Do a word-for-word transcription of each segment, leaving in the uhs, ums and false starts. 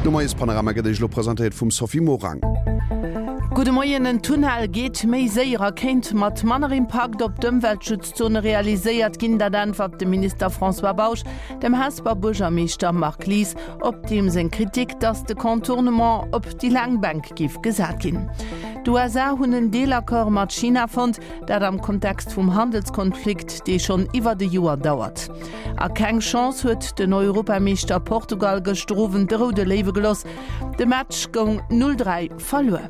De Moiespanorama gëtt Iech elo presentéiert vum Sophie Morang. Gudde Moien, En Tunnel geet méi séier a kéint mat manner Impakt op d'Ëmweltschutzzone realiséiert ginn. Dat äntwert de Minister François Bausch dem Hesper Buergermeeschter Marc Lies op deem seng Kritik, datt de Contournement op déi laang Bänk géif gesat ginn. D'U S A hunn en Deelaccord mat China fonnt, dat am Kontext vum Handelskonflikt, dee schonn iwwert e Joer dauert. A keng Chance huet den Europameeschter Portugal gëschter Owend de Roude Léiwe geloss. De Match goung null dräi verluer.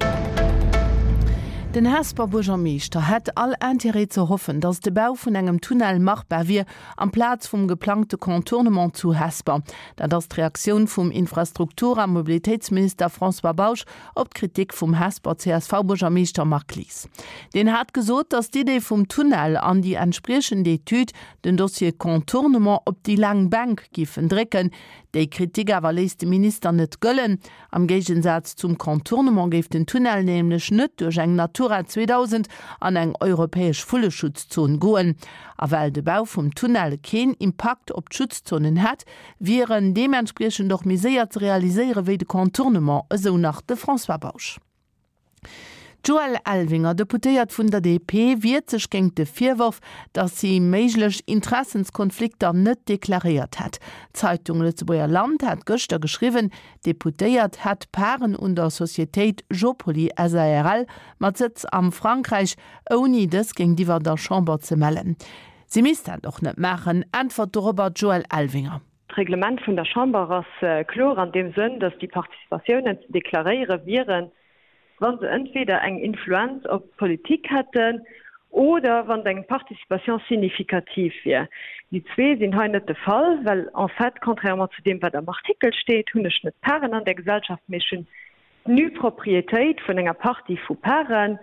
Den Hesper Buergermeeschter hätt all Intérêt ze hoffen, datt de Bau vun engem Tunnel machbar wier amplaz vum geplangte Contournement zu Hesper. Dat ass d'Reaktioun vum Infrastruktur a Mobilitéitsminister François Bausch op d'Kritik vum Hesper C S V-Buergermeeschter Marc Lies. Deen hat gesot, datt d'Idee vum Tunnel an déi entspriechend Etüd den Dossier Contournement op déi laang Bänk giffen drécken. Déi Kritik awer léisst de Minister net gëllen. Am Géigensaz zum Contournement géif den Tunnel nämlech net duerch eng Natura zweedausend an eng europäesch Vulleschutzzon goen. A well de Bau vum Tunnel keen Impakt op d'Schutzzonen hätt, wier en deementspriechend och méi séier ze realiséiere wéi de Contournement, esou nach de François Bausch. D'Joëlle Elvinger, Deputéiert vun der D P, wiert sech géint de Virworf, datt si méiglech Interessenskonflikter net deklaréiert hätt. D'Zeitung Lëtzebuerger Land hat gëschter geschriwwen, d'Deputéiert hätt Paren un der Societéit Jopoli S A R L mat Sëtz am Frankräich, ouni dës géintiwwer der Chamber ze mellen. Si misst dat och net maachen, äntwert dorobber d'Joëlle Elvinger. D'Reglement vun der Chamber ass, äh, kloer an dem Sënn, datt déi Participatiounen ze deklaréiere wieren, wann se entweder eng Influenz op d'Politik hätten oder wann eng Participation significative wier. Die zwee sinn hei net de Fall, well en fait, contrairement zu dem, wat am Artikel steet, hunn ech net Paren an der Gesellschaft, mee ech hunn d'Nu-Proprietéit vun enger Partie vu Paren.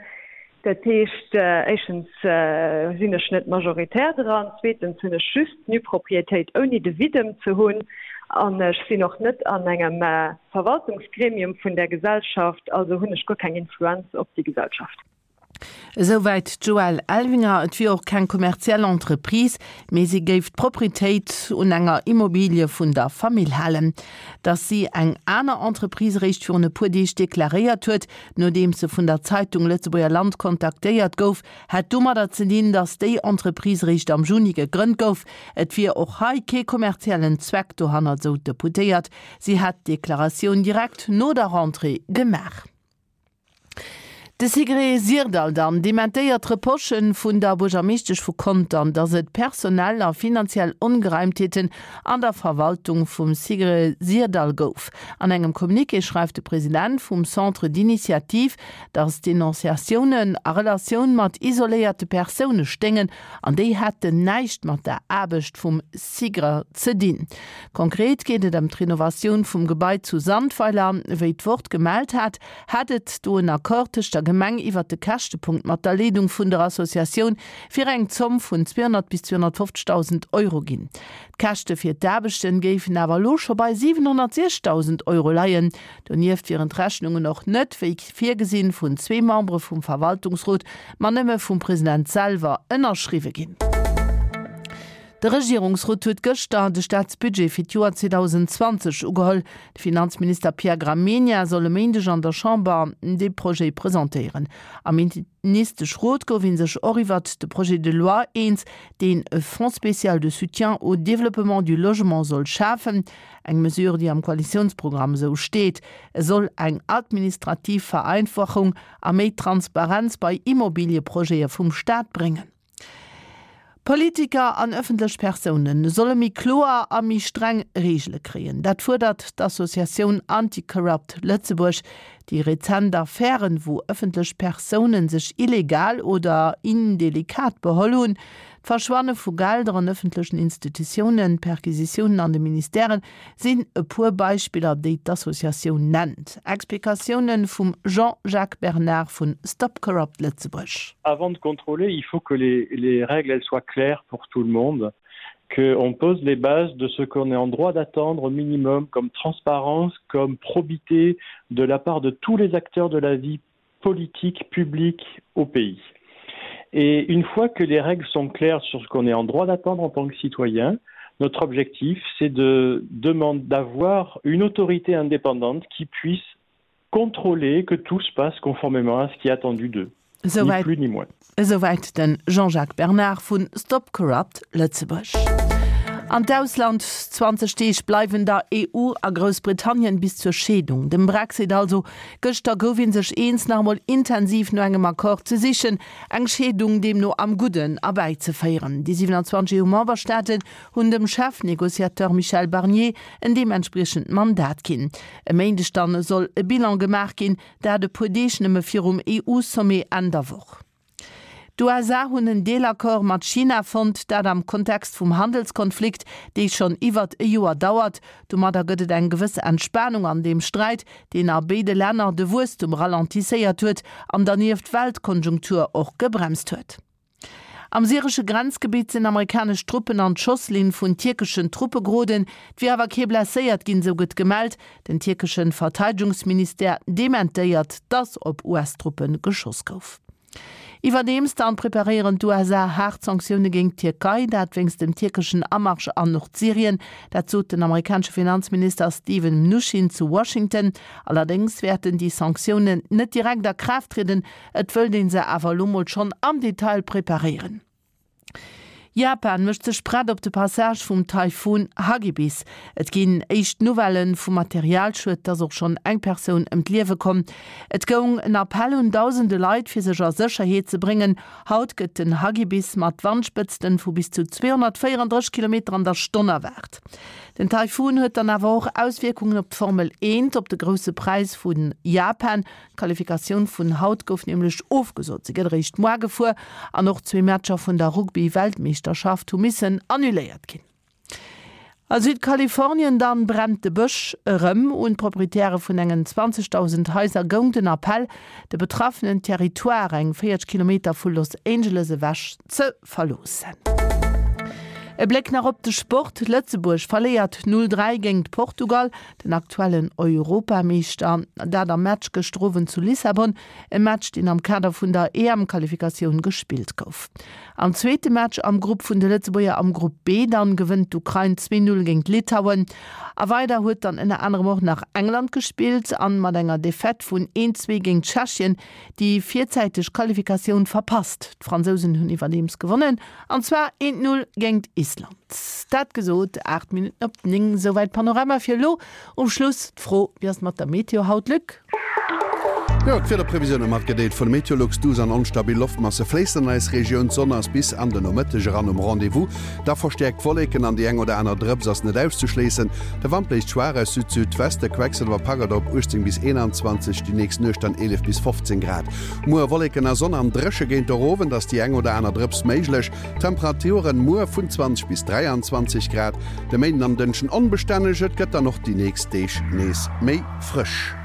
Dat heescht, äh, éischtens, äh, sinn ech net majoritär dran, zweetens hunn ech just d'Nu-Proprietéit ouni de Videm ze hunn an ech sinn och net an engem, äh, Verwaltungsgremium vun der Gesellschaft, also hunn ech guer keng Influenz op déi Gesellschaft. Esouwäit d'Joëlle Elvinger, et wier och keng kommerziell Entreprise, mee si géif d'Proprietéit un enger Immobilie vun der Famill halen. Datt si eng aner Entreprise réischt virun e puer Deeg deklaréiert huet, nodeem se vun der Zeitung Lëtzebuerger Land kontaktéiert gouf, hätt domadder ze dinn, datt déi Entreprise réischt am Juni gegrënnt gouf. Et wier och hei kee kommerziellen Zweck dohannert, sou d'Deputéiert. Si hätt d'Deklaratioun direkt no der Rentrée gemaach. De Sigrid Syrdall dann dementéiert Reprochen vun der Buergermeeschtesch vu Contern, datt et personell a finanziell Ongereimtheeten an der Verwaltung vum Sigrid Syrdall gouf. An engem Communiqué schreift de President vum Centre d'initiative, datt Denonciatiounen a Relatioun mat isoléierte Persoune stéingen an déi hätten näischt mat der Aarbecht vum Sigrid ze dinn. Konkret geet et ëm d'Renovatioun vum Gebai zu Sandweiler, wéi d'Wort gemellt hat, hätt et do en Accord tëscht der Gemeng iwwer de Käschtepunkt mat der Leedung vun der Associatioun fir eng Zomm vun zweehonnert bis zweehonnertfünfzigtausend Euro ginn. D'Käschte fir d'Aarbechten géifen awer elo scho bei siewenhonnertsechstausend Euro leien. Donieft wieren d'Rechnungen och net, wéi virgesinn, vun zwee Membere vum Verwaltungsrot, ma nëmme vum President selwer ënnerschriwwe ginn. De Regierungsrot huet gëschter de Staatsbudget fir d'Joer zweetausendzwanzeg ugeholl. De Finanzminister Pierre Gramegna soll e Méindeg an der Chamber de Projet presentéieren. Am Ministeschrot gouf een sech och iwwer de Projet de loi eens, deen e Fonds spécial de soutien au développement du logement soll schafen. Eng Mesure, déi am Koalitionsprogramm sou steet. E soll eng administrativ Vereinfachung a méi Transparenz bei Immobilieprojete vum Staat bréngen. Politiker an ëffentlech Persounen solle méi kloer a méi streng Reegele kréien. Dat fuerdert d'Associatioun Anti-Corrupt Lëtzebuerg. Déi rezent Affären, wou ëffentlech Persounen sech illegal oder indelikat beholl hunn, d'Verschwanne vu Gelder an ëffentlechen Institutiounen, Perquisitiounen an de Ministèren sinn e puer Beispiller, déi d'Associatioun nennt. Explikatiounen vum Jean-Jacques Bernard vun Stop Corrupt Lëtzebuerg. Avant de contrôler, il faut que les, les règles elles soient claires pour tout le monde, qu'on pose les bases de ce qu'on est en droit d'attendre au minimum comme transparence, comme probité de la part de tous les acteurs de la vie politique publique au pays. Et une fois que les règles sont claires sur ce qu'on est en droit d'attendre en tant que citoyen, Notre objectif, c'est de demander d'avoir une autorité indépendante qui puisse contrôler que tout se passe conformément à ce qui est attendu d'eux. Ni plus ni moins. Esouwäit den Jean-Jacques Bernard vun Stop Corrupt Lëtzebuerg. An d'Ausland, zwanzeg Deeg bleiwen der E U a Groussbritannien bis zur Scheedung, dem Brexit also. Gëschter gouf een sech eens, nach emol intensiv no engem Accord ze sichen, eng Scheedung deemno am Gudden erbäizeféieren. Déi siwenanzwanzeg E U-Memberstaaten hunn dem Chefnegociateur Michel Barnier en deementspriechend Mandat ginn. E Méindeg dann soll e Bilan gemaach ginn, dat e puer Deeg nëmme virum E U-Sommet Enn der Woch. D'U S A hunn en Deelaccord mat China fonnt, dat am Kontext vum Handelskonflikt, dee schonn iwwert e Joer dauert. Domadder gëtt et eng gewëss Entspanung an deem Sträit, deen a béide Länner de Wuesstum ralentisséiert huet an dernieft d'Weltkonjunktur och gebremst huet. Am syresche Grenzgebitt sinn amerikanesch Truppen an d'Schosslinn vun tierkeschen Truppe geroden. Et wier awer kee blesséiert ginn, sou gëtt gemellt. Den tierkesche Verteidegungsministère dementéiert, datt op U S-Truppe geschoss gouf. Iwwerdeems dann preparéieren d'U S A haart Sanktioune géint d'Tierkei, dat wéinst dem tierkeschen Amarsch an Nordsyrien. Dat sot den amerikanesche Finanzminister Steven Mnuchin zu Washington. Allerdéngs wäerten déi Sanktiounen net direkt a Kraaft trieden, et wëllt ee se awer elo mol schonn am Detail preparéieren. Japan mécht sech prett op de Passage vum Taifun Hagibis. Et ginn éischt Nouvellë vu Materialschued, et ass och schonn eng Persoun ëm d'Liewe komm. Et goung en Appell un dausende Leit, fir sech a Sécherheet ze bréngen. Haut gëtt den Hagibis mat Wandspëtzte vu bis zu zweehonnertvéierendrësseg Kilometer an der Stonn erwaart. Den Taifun huet dann awer och Auswierkungen op d'Formel eent, op de Grousse Präis vu Japan. D'Qualifikatioun vun haut gouf nämlech ofgesot, se gëtt eréischt muer gefuer an och zwee Matcher vun der Rugby-Weltmeeschterschaft hu missen annuléiert ginn. A Südkalifornien dann brennt de Bësch erëm. Un d'Proprietäre vun engen zwanzegdausend Haiser goung den Appell, de betraffenen Territoire, eng véierzeg Kilometer vu Los Angeles ewech, ze verloossen. E Bléck nach op de Sport, Lëtzebuerg verléiert null dräi géingt Portugal, den aktuellen Europameeschter, dat am Match gëschter Owend zu Lissabon, e Match deen am Kader vun der E M-Qualifikatioun gespillt gouf. Am zweete Match am Grupp vun de Lëtzebuerger am Grupp B dann gewënnt d'Ukrain zwee null géingt Litauen. A weider huet dann ënner anerem och nach England gespillt an mat enger Defaite vun een zwee géingt Tschechien déi virzäiteg Qualifikatioun verpasst. D'Fransousen hunn iwwerdeems gewonnen an zwar eent null géingt Island. Dat gesot, aacht Minutten op néng, souwäit Panorama fir elo. Um Schluss d'Fro, Wéi ass et mat der Meteo haut, Luc? Jo, d'Wiederprevisioune matgedeelt vun Meteolux, Duuss an onstabil Loftmasse fléissen an eis Regioun. D'Sonn ass bis an de Nomëtteg eran um Rendez-vous. Da verstäerkt Wolleken an déi eng oder aner Drëps ass net auszeschléissen. De Wand bléist schwaach aus Süd-Südweste, Quecksëlwer packt et op uechtzéng bis eenanzwanzeg, déi nächst Nuecht dann eelef bis fofzéng Grad. Muer Wolleken a Sonn an dréche, géint de Owend ass déi eng oder aner Drëps méiglech. Temperaturen muer vun zwanzeg bis dräianzwanzeg Grad. De Méinden an Dënschden onbestänneg, et gëtt dann och déi nächst Deeg nees méi frësch.